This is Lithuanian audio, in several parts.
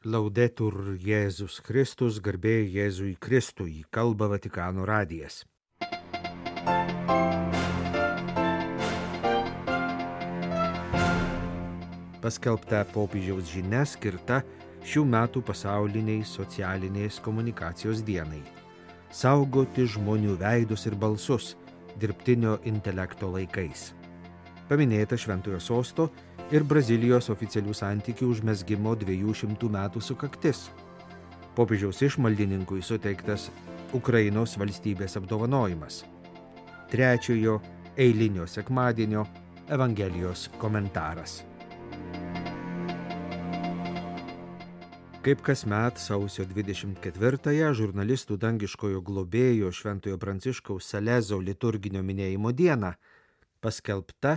Laudetur Jėzus Kristus, garbė Jėzui Kristui, kalba Vatikano radijas. Paskelbta popiežiaus žinia skirta šių metų pasauliniai socialinės komunikacijos dienai. Saugoti žmonių veidus ir balsus dirbtinio intelekto laikais. Paminėta Šventojo Sosto ir Brazilijos oficialių santykių užmezgimo 200 metų sukaktis. Popiežiaus išmaldininkui suteiktas Ukrainos valstybės apdovanojimas. Trečiojo eilinio sekmadienio Evangelijos komentaras. Kaip kasmet sausio 24-ąją žurnalistų dangiškojo globėjo Šventojo Pranciškaus Salezo liturginio minėjimo dieną paskelbta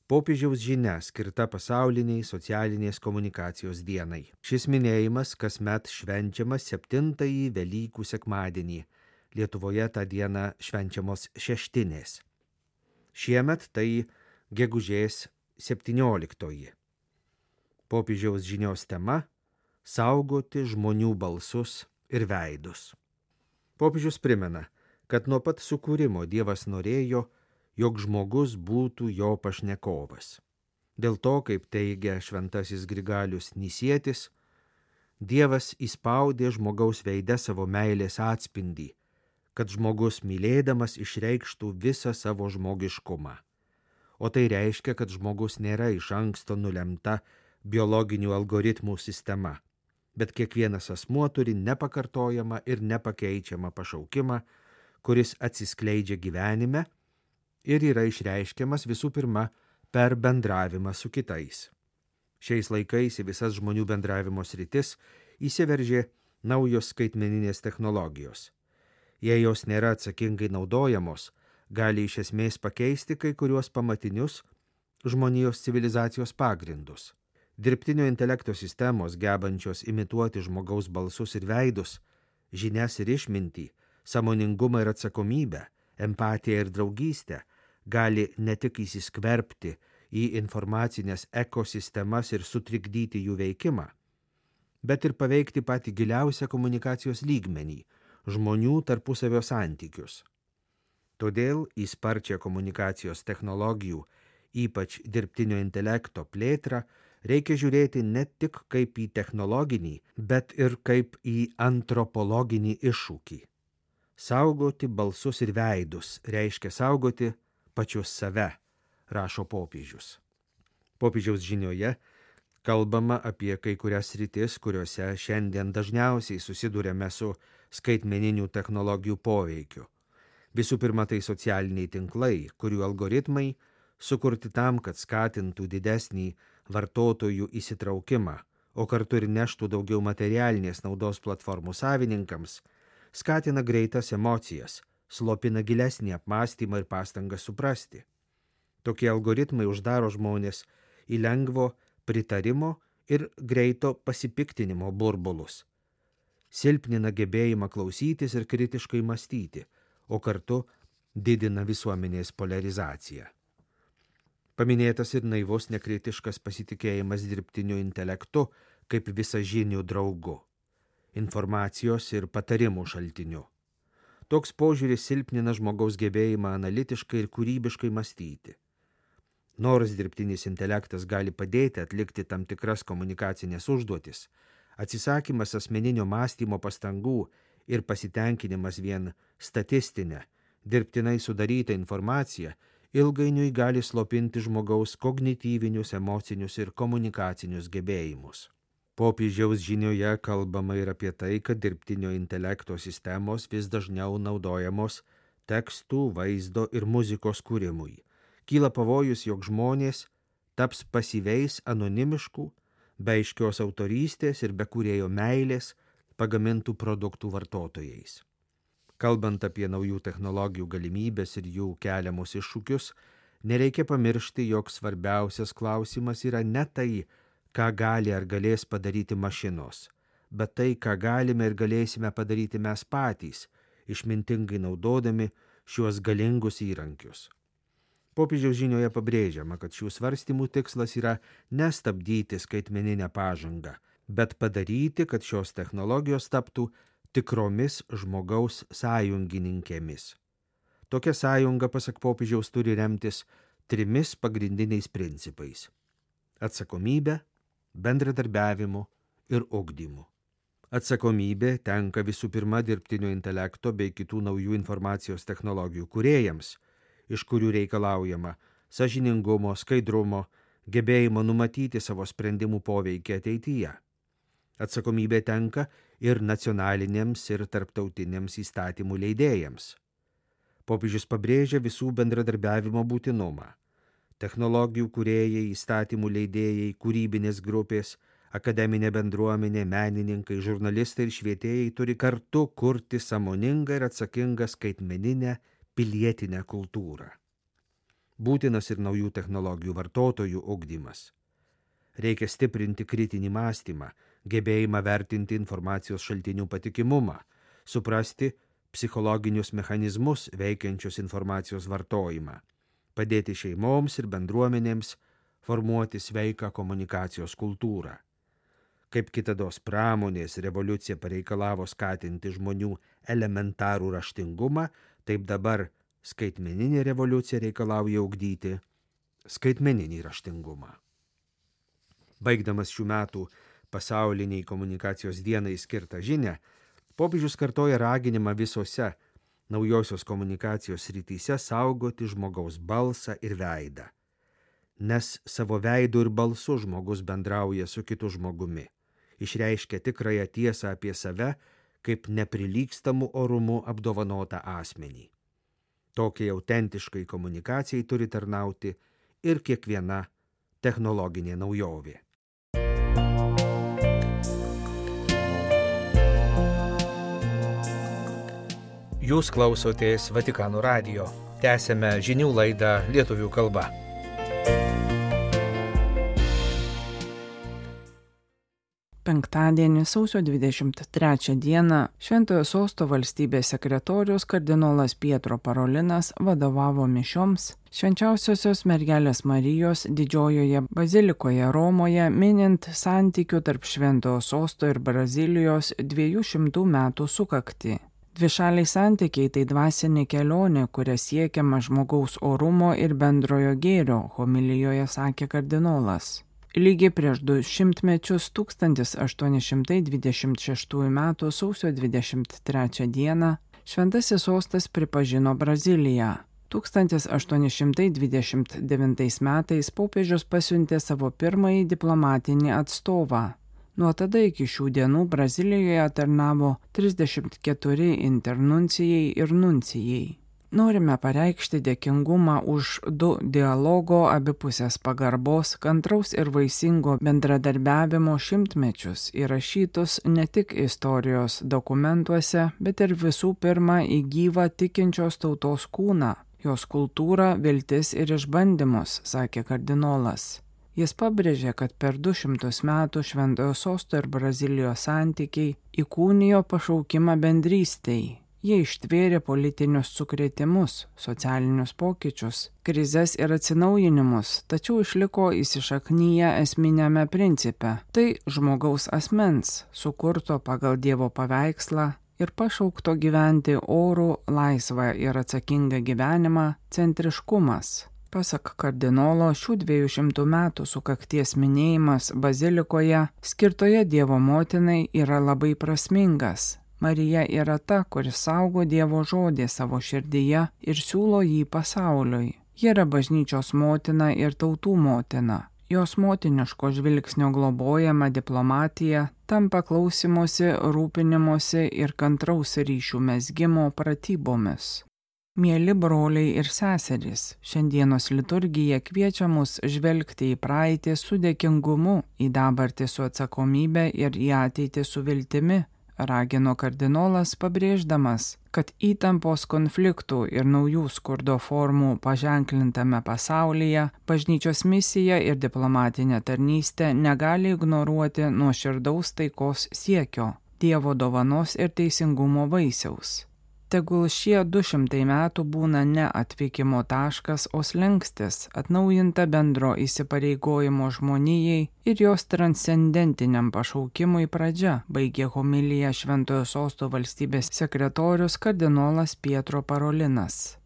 popiežiaus žinia skirta pasauliniai socialinės komunikacijos dienai. Šis minėjimas kasmet švenčiamas 7-ąjį Velykų sekmadienį. Lietuvoje tą dieną švenčiamos šeštinės. Šiemet tai gegužės 17-oji. Popiežiaus žinios tema – saugoti žmonių balsus ir veidus. Popiežius primena, kad nuo pat sukūrimo Dievas norėjo, jog žmogus būtų jo pašnekovas. Dėl to, kaip teigia šventasis Grigalius Nisietis, Dievas įspaudė žmogaus veide savo meilės atspindį, kad žmogus mylėdamas išreikštų visą savo žmogiškumą. O tai reiškia, kad žmogus nėra iš anksto nulemta biologinių algoritmų sistema, bet kiekvienas asmuo turi nepakartojamą ir nepakeičiamą pašaukimą, kuris atsiskleidžia gyvenime ir yra išreiškiamas visų pirma per bendravimą su kitais. Šiais laikais į visas žmonių bendravimo sritis įsiveržė naujos skaitmeninės technologijos. Jei jos nėra atsakingai naudojamos, gali iš esmės pakeisti kai kuriuos pamatinius žmonijos civilizacijos pagrindus. Dirbtinio intelekto sistemos gebančios imituoti žmogaus balsus ir veidus, žinias ir išmintį, sąmoningumą ir atsakomybę, empatiją ir draugystę, gali ne tik įsiskverbti į informacinės ekosistemas ir sutrikdyti jų veikimą, bet ir paveikti patį giliausią komunikacijos lygmenį – žmonių tarpusavio santykius. Todėl į sparčią komunikacijos technologijų, ypač dirbtinio intelekto plėtrą, reikia žiūrėti ne tik kaip į technologinį, bet ir kaip į antropologinį iššūkį. Saugoti balsus ir veidus reiškia saugoti pačius save, rašo popiežius. Popiežiaus žinioje kalbama apie kai kurias sritis, kuriuose šiandien dažniausiai susiduriame su skaitmeninių technologijų poveikiu. Visų pirma, tai socialiniai tinklai, kurių algoritmai sukurti tam, kad skatintų didesnį vartotojų įsitraukimą, o kartu ir neštų daugiau materialinės naudos platformų savininkams, skatina greitas emocijas, slopina gilesnį apmąstymą ir pastangą suprasti. Tokie algoritmai uždaro žmonės į lengvo pritarimo ir greito pasipiktinimo burbulus. Silpnina gebėjimą klausytis ir kritiškai mąstyti, o kartu didina visuomenės polarizaciją. Paminėtas ir naivus nekritiškas pasitikėjimas dirbtiniu intelektu kaip visažiniu draugu, informacijos ir patarimų šaltiniu. Toks požiūris silpnina žmogaus gebėjimą analitiškai ir kūrybiškai mąstyti. Nors dirbtinis intelektas gali padėti atlikti tam tikras komunikacinės užduotis, atsisakymas asmeninio mąstymo pastangų ir pasitenkinimas vien statistinę, dirbtinai sudarytą informaciją ilgainiui gali slopinti žmogaus kognityvinius, emocinius ir komunikacinius gebėjimus. Popiežiaus žinioje kalbama ir apie tai, kad dirbtinio intelekto sistemos vis dažniau naudojamos tekstų, vaizdo ir muzikos kūrimui. Kyla pavojus, jog žmonės taps pasyviais, anonimiškų, be aiškios autorystės ir be kūrėjo meilės pagamintų produktų vartotojais. Kalbant apie naujų technologijų galimybės ir jų keliamus iššūkius, nereikia pamiršti, jog svarbiausias klausimas yra ne tai, ką gali ar galės padaryti mašinos, bet tai, ką galime ir galėsime padaryti mes patys, išmintingai naudodami šiuos galingus įrankius. Popiežiaus žinioje pabrėžiama, kad šių svarstymų tikslas yra nestabdyti skaitmeninę pažangą, bet padaryti, kad šios technologijos taptų tikromis žmogaus sąjungininkėmis. Tokia sąjunga, pasak popiežiaus, turi remtis 3 pagrindiniais principais – atsakomybė, bendradarbiavimu ir ugdymu. Atsakomybė tenka visų pirma dirbtinio intelekto bei kitų naujų informacijos technologijų kūrėjams, iš kurių reikalaujama sąžiningumo, skaidrumo, gebėjimo numatyti savo sprendimų poveikį ateityje. Atsakomybė tenka ir nacionalinėms ir tarptautiniams įstatymų leidėjams. Popiežius pabrėžia visų bendradarbiavimo būtinumą. Technologijų kūrėjai, įstatymų leidėjai, kūrybinės grupės, akademinė bendruomenė, menininkai, žurnalistai ir švietėjai turi kartu kurti sąmoningą ir atsakingą skaitmeninę pilietinę kultūrą. Būtinas ir naujų technologijų vartotojų ugdymas. Reikia stiprinti kritinį mąstymą, gebėjimą vertinti informacijos šaltinių patikimumą, suprasti psichologinius mechanizmus veikiančius informacijos vartojimą, padėti šeimoms ir bendruomenėms formuoti sveiką komunikacijos kultūrą. Kaip kitados pramonės revoliucija pareikalavo skatinti žmonių elementarų raštingumą, taip dabar skaitmeninė revoliucija reikalauja ugdyti skaitmeninį raštingumą. Baigdamas šių metų pasauliniai komunikacijos dienai skirtą žinią, popiežius kartoja raginimą visose naujosios komunikacijos srityse saugoti žmogaus balsą ir veidą. Nes savo veidu ir balsu žmogus bendrauja su kitu žmogumi, išreiškia tikrąją tiesą apie save kaip neprilygstamų orumu apdovanotą asmenį. Tokiai autentiškai komunikacijai turi tarnauti ir kiekviena technologinė naujovė. Jūs klausotės Vatikano radijo. Tęsiame žinių laidą lietuvių kalba. Penktadienį, sausio 23 dieną, Šventojo Sosto valstybės sekretorius kardinolas Pietro Parolinas vadovavo mišioms Švenčiausiosios Mergelės Marijos Didžiojoje bazilikoje Romoje, minint santykių tarp Šventojo Sosto ir Brazilijos 200 metų sukaktį. Dvišaliai santykiai tai dvasinė kelionė, kuria siekiama žmogaus orumo ir bendrojo gėrio, homilijoje sakė kardinolas. Lygiai prieš 200 mečius 1826 m. sausio 23 d. Šventasis Sostas pripažino Braziliją. 1829 metais popiežius pasiuntė savo pirmąjį diplomatinį atstovą. Nuo tada iki šių dienų Brazilijoje tarnavo 34 internuncijai ir nuncijai. Norime pareikšti dėkingumą už 2 dialogo, abipusės pagarbos, kantraus ir vaisingo bendradarbiavimo šimtmečius įrašytus ne tik istorijos dokumentuose, bet ir visų pirma į gyvą tikinčios tautos kūną, jos kultūrą, viltis ir išbandymus, sakė kardinolas. Jis pabrėžė, kad per 200 metų Šventojo Sosto ir Brazilijos santykiai įkūnijo pašaukimą bendrystei. Jie ištvėrė politinius sukrėtimus, socialinius pokyčius, krizes ir atsinaujinimus, tačiau išliko įsišaknyję esminiame principe. Tai žmogaus asmens, sukurto pagal Dievo paveikslą ir pašaukto gyventi orų, laisvą ir atsakingą gyvenimą centriškumas. Pasak kardinolo, šių 200 metų sukakties minėjimas bazilikoje, skirtoje Dievo motinai, yra labai prasmingas. Marija yra ta, kuri saugo Dievo žodį savo širdyje ir siūlo jį pasauliui. Ji yra bažnyčios motina ir tautų motina. Jos motiniško žvilgsnio globojama diplomatija tampa klausimosi, rūpinimosi ir kantraus ryšių mezgimo pratybomis. Mieli broliai ir seserys, šiandienos liturgija kviečia mus žvelgti į praeitį su dėkingumu, į dabartį su atsakomybė ir į ateitį su viltimi, ragino kardinolas pabrėždamas, kad įtampos, konfliktų ir naujų skurdo formų paženklintame pasaulyje bažnyčios misija ir diplomatinė tarnystė negali ignoruoti nuoširdaus taikos siekio, Dievo dovanos ir teisingumo vaisiaus. Tegul šie 200 metų būna ne atvykimo taškas, o slenkstis, atnaujinta bendro įsipareigojimo žmonijai ir jos transcendentiniam pašaukimui pradžia, baigė homiliją Šventojo Sosto valstybės sekretorius kardinolas Pietro Parolinas.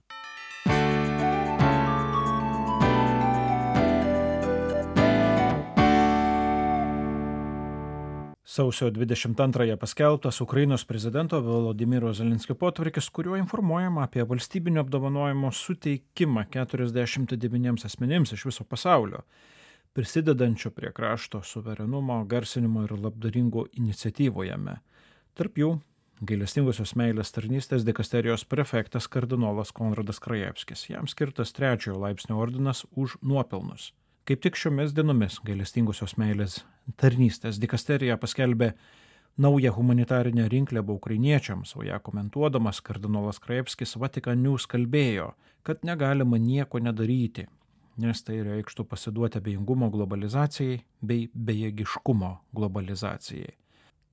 Sausio 22-ąją paskelbtas Ukrainos prezidento Volodymyro Zelenskio potvarkis, kuriuo informuojama apie valstybinio apdovanojimo suteikimą 49 asmenims iš viso pasaulio, prisidedančio prie krašto suverenumo, garsinimo ir labdaringų iniciatyvų jame. Tarp jų gailestingosios meilės tarnystės dikasterijos prefektas kardinolas Konradas Krajevskis. Jam skirtas 3-ojo laipsnio ordinas už nuopelnus. Kaip tik šiomis dienomis gailestingosios meilės tarnystės dikasterija paskelbė naują humanitarinę rinkliavą ukrainiečiams, o ją komentuodamas kardinolas Krajevskis Vatican News kalbėjo, kad negalima nieko nedaryti, nes tai reikštų pasiduoti abejingumo globalizacijai bei bejėgiškumo globalizacijai.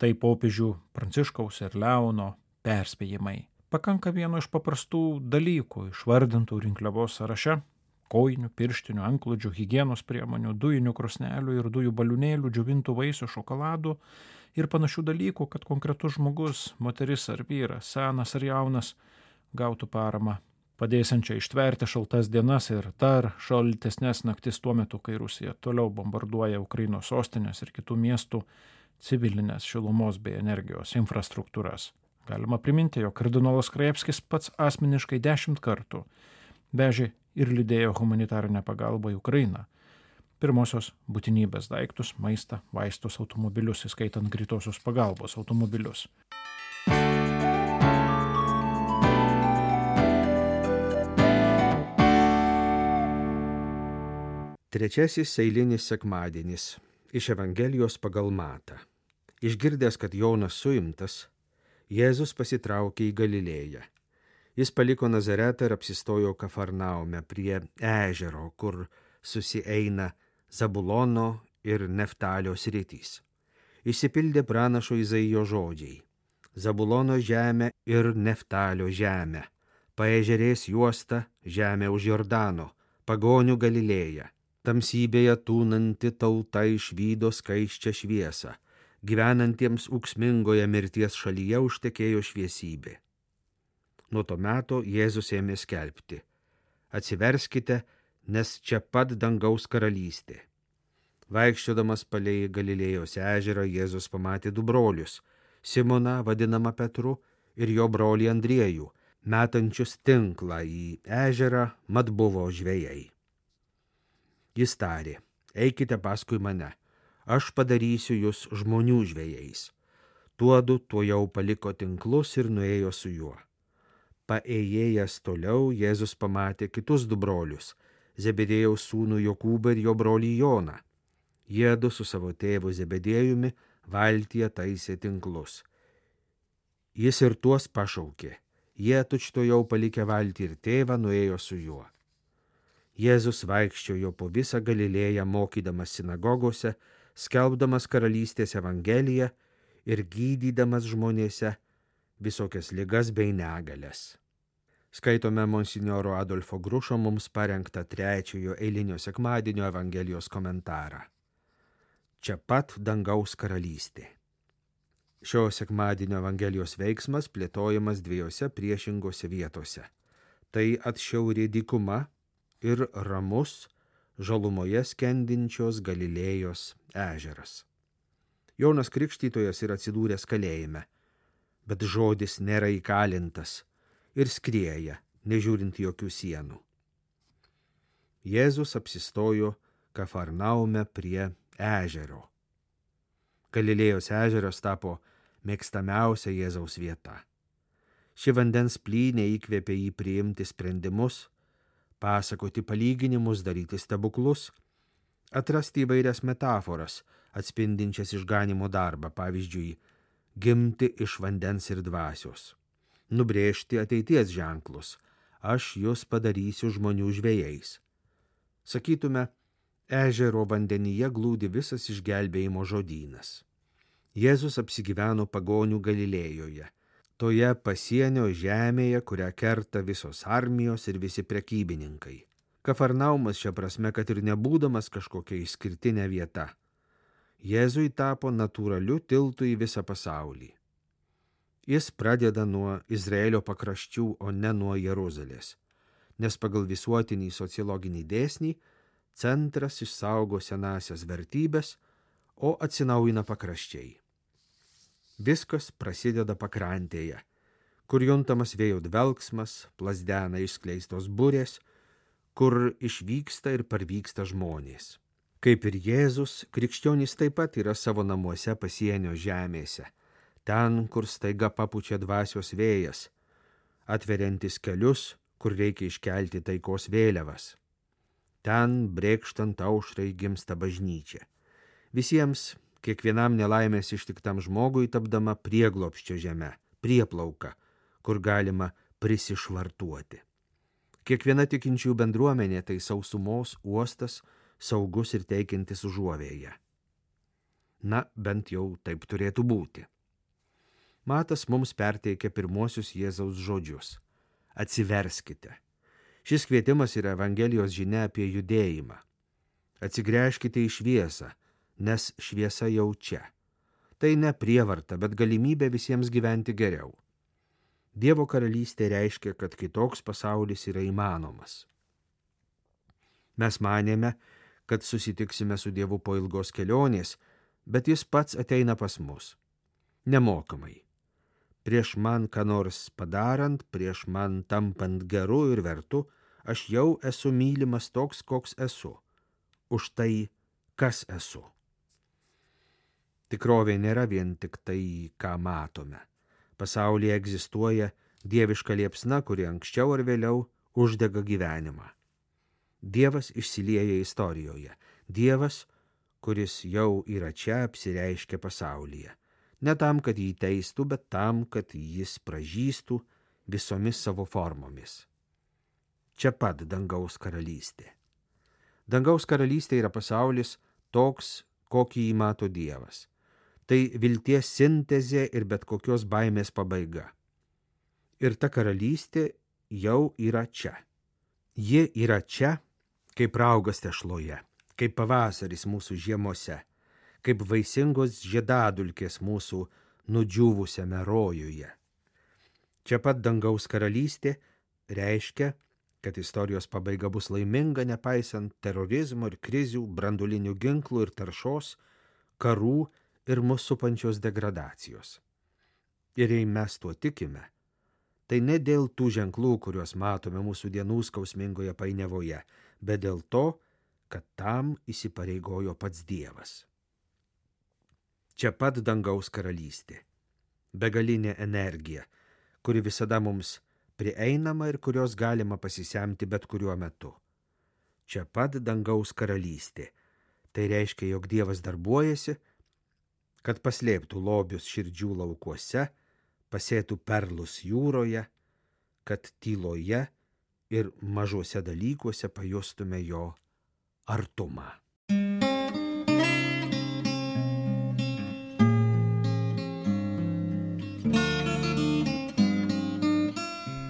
Tai popiežių Pranciškaus ir Leono perspėjimai. Pakanka vieno iš paprastų dalykų išvardintų rinkliavos sąraše: kojinių, pirštinių, antklodžių, higienos priemonių, dujinių krosnelių ir dujų baliūnėlių, džiovintų vaisių, šokoladų ir panašių dalykų, kad konkretus žmogus, moteris ar vyras, senas ar jaunas, gautų paramą, padėsiančią ištverti šaltas dienas ir dar šaltesnės naktis tuo metu, kai Rusija toliau bombarduoja Ukrainos sostinės ir kitų miestų civilinės šilumos bei energijos infrastruktūras. Galima priminti, jog kardinolas Krajevskis pats asmeniškai 10 kartų vežė ir lydėjo humanitarinę pagalbą į Ukrainą. Pirmosios būtinybės daiktus, maistą, vaistus, automobilius, įskaitant greitosios pagalbos automobilius. Trečiasis eilinis sekmadienis iš Evangelijos pagal Matą. Išgirdęs, kad Jonas suimtas, Jėzus pasitraukė į Galilėją. Jis paliko Nazaretą ir apsistojo Kafarnaume prie ežero, kur susieina Zabulono ir Neftalio sritys. Išsipildė pranašo Izaijo žodžiai: Zabulono žemė ir Neftalio žemė, paežerės juosta, žemė už Jordano, pagonių Galilėja, tamsybėje tūnanti tauta išvydo skaisčią šviesą, gyvenantiems ūksmingoje mirties šalyje užtekėjo šviesybė. Nuo to meto Jėzus ėmė skelbti: atsiverskite, nes čia pat dangaus karalystė. Vaikščiodamas palei Galilėjos ežerą, Jėzus pamatė 2 brolius, Simoną, vadinamą Petru, ir jo brolį Andriejų, metančius tinklą į ežerą, mat buvo žvejai. Jis tarė: eikite paskui mane, aš padarysiu jūs žmonių žvejais. Tuodu tuojau paliko tinklus ir nuėjo su juo. Paėjėjęs toliau, Jėzus pamatė kitus 2 brolius, Zebedėjaus sūnų Jokūbą ir jo brolį Joną. Jiedu su savo tėvu Zebedėjumi valtyje taisė tinklus. Jis ir tuos pašaukė. Jie tučtuojau palikę valtį ir tėvą nuėjo su juo. Jėzus vaikščiojo po visą Galilėją, mokydamas sinagogose, skelbdamas karalystės evangeliją ir gydydamas žmonėse visokias ligas bei negalias. Skaitome monsinjoro Adolfo Grušo mums parengtą 3-ojo eilinio sekmadienio Evangelijos komentarą. Čia pat dangaus karalystė. Šio sekmadienio Evangelijos veiksmas plėtojamas 2 priešingose vietose. Tai atšiauri dykuma ir ramus žalumoje skendinčios Galilėjos ežeras. Jonas Krikštytojas yra atsidūręs kalėjime, bet žodis nėra įkalintas ir skrieja, nežiūrint jokių sienų. Jėzus apsistojo Kafarnaume prie ežero. Galilėjos ežeras tapo mėgstamiausia Jėzaus vieta. Ši vandens plynė įkvėpė jį priimti sprendimus, pasakoti palyginimus, daryti stebuklus, atrasti įvairias metaforas, atspindinčias išganymo darbą, pavyzdžiui, gimti iš vandens ir dvasios, nubrėžti ateities ženklus, aš jūs padarysiu žmonių žvejais. Sakytume, ežero vandenyje glūdi visas išgelbėjimo žodynas. Jėzus apsigyveno pagonių Galilėjoje, toje pasienio žemėje, kurią kerta visos armijos ir visi prekybininkai. Kafarnaumas šia prasme, kad ir nebūdamas kažkokia išskirtinė vieta, Jėzui tapo natūraliu tiltu į visą pasaulį. Jis pradeda nuo Izraelio pakraščių, o ne nuo Jeruzalės, nes pagal visuotinį sociologinį dėsnį centras išsaugo senąsias vertybės, o atsinaujina pakraščiai. Viskas prasideda pakrantėje, kur juntamas vėjo dvelksmas, plazdena išskleistos burės, kur išvyksta ir parvyksta žmonės. Kaip ir Jėzus, krikščionys taip pat yra savo namuose pasienio žemėse, ten, kur staiga papučia dvasios vėjas, atveriantis kelius, kur reikia iškelti taikos vėliavas. Ten, brėkštant aušrai, gimsta bažnyčia. Visiems, kiekvienam nelaimės ištiktam žmogui tapdama prieglobsčio žeme, prieplauka, kur galima prisišvartuoti. Kiekviena tikinčių bendruomenė tai sausumos uostas, saugus ir teikiantis užuovėją. Na, bent jau taip turėtų būti. Matas mums perteikia pirmosius Jėzaus žodžius. Atsiverskite. Šis kvietimas yra Evangelijos žinia apie judėjimą. Atsigręžkite į šviesą, nes šviesa jau čia. Tai ne prievarta, bet galimybė visiems gyventi geriau. Dievo karalystė reiškia, kad kitoks pasaulis yra įmanomas. Mes manėme, kad susitiksime su Dievu po ilgos kelionės, bet jis pats ateina pas mus. Nemokamai. Prieš man ką nors padarant, prieš man tampant geru ir vertu, aš jau esu mylimas toks, koks esu. Už tai, kas esu. Tikrovė nėra vien tik tai, ką matome. Pasaulyje egzistuoja dieviška liepsna, kuri anksčiau ar vėliau uždega gyvenimą. Dievas išsilieja istorijoje. Dievas, kuris jau yra čia, apsireiškia pasaulyje. Ne tam, kad jį teistų, bet tam, kad jis pražystų visomis savo formomis. Čia pat dangaus karalystė. Dangaus karalystė yra pasaulis toks, kokį jį mato Dievas. Tai vilties sintezė ir bet kokios baimės pabaiga. Ir ta karalystė jau yra čia. Ji yra čia, kaip raugas tešloje, kaip pavasaris mūsų žiemose, kaip vaisingos žiedadulkės mūsų nudžiūvusiame rojuje. Čia pat dangaus karalystė reiškia, kad istorijos pabaiga bus laiminga, nepaisant terorizmo ir krizių, branduolinių ginklų ir taršos, karų ir mus supančios degradacijos. Ir jei mes tuo tikime, tai ne dėl tų ženklų, kuriuos matome mūsų dienų skausmingoje painiavoje, bet dėl to, kad tam įsipareigojo pats Dievas. Čia pat dangaus karalystė, begalinė energija, kuri visada mums prieinama ir kurios galima pasisemti bet kuriuo metu. Čia pat dangaus karalystė, tai reiškia, jog Dievas darbuojasi, kad paslėptų lobius širdžių laukuose, pasėtų perlus jūroje, kad tyloje ir mažuose dalykuose pajustume jo artumą.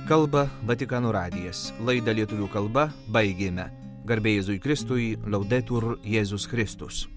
Kalba Vatikano radijas. Laidą lietuvių kalba baigėme. Garbė Jėzui Kristui, Laudetur Jėzus Kristus.